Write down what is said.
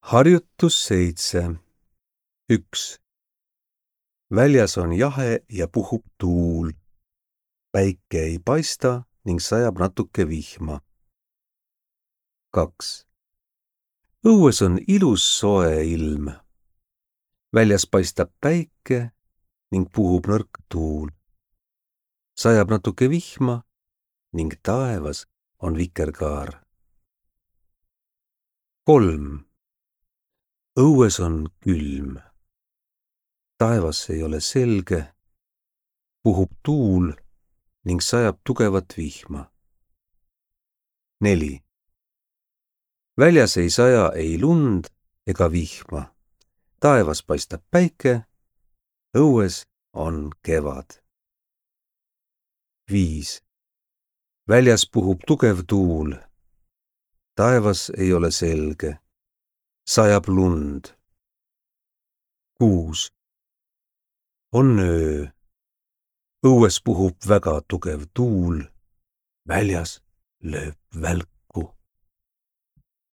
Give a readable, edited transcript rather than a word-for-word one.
Harjutus 7. 1. Väljas on jahe ja puhub tuul. Päike ei paista ning sajab natuke vihma. 2. Õues on ilus soe ilm. Väljas paistab päike ning puhub nõrk tuul. Sajab natuke vihma ning taevas on vikerkaar. 3. Õues on külm. Taevas ei ole selge, puhub tuul ning sajab tugevat vihma. 4. Väljas ei saja ei lund ega vihma. Taevas paistab päike, õues on kevad. 5. Väljas puhub tugev tuul. Taevas ei ole selge, sajab lund. 6. On öö. Õues puhub väga tugev tuul. Väljas lööb välk.